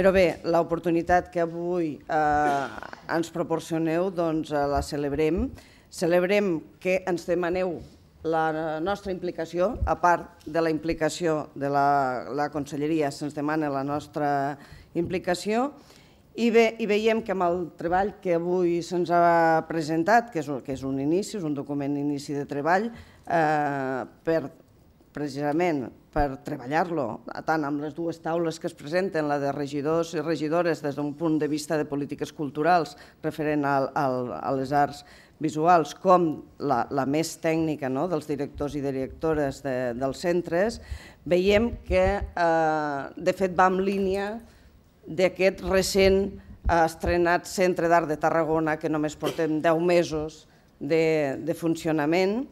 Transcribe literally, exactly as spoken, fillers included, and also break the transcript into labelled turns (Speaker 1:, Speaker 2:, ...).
Speaker 1: Però bé, l'oportunitat que avui ens proporcioneu la celebrem. Celebrem que ens demaneu la nostra implicació, a part de la implicació de la Conselleria, se'ns demana la nostra implicació i veiem que amb el treball que avui se'ns ha presentat, que és un inici, és un document d'inici de treball, precisament per treballar-lo tant amb les dues taules que es presenten, la de regidors i regidores des d'un punt de vista de polítiques culturals referent a les arts visuals, com la més tècnica dels directors i directores dels centres, veiem que de fet va en línia d'aquest recent estrenat Centre d'Art de Tarragona, que només portem deu mesos de funcionament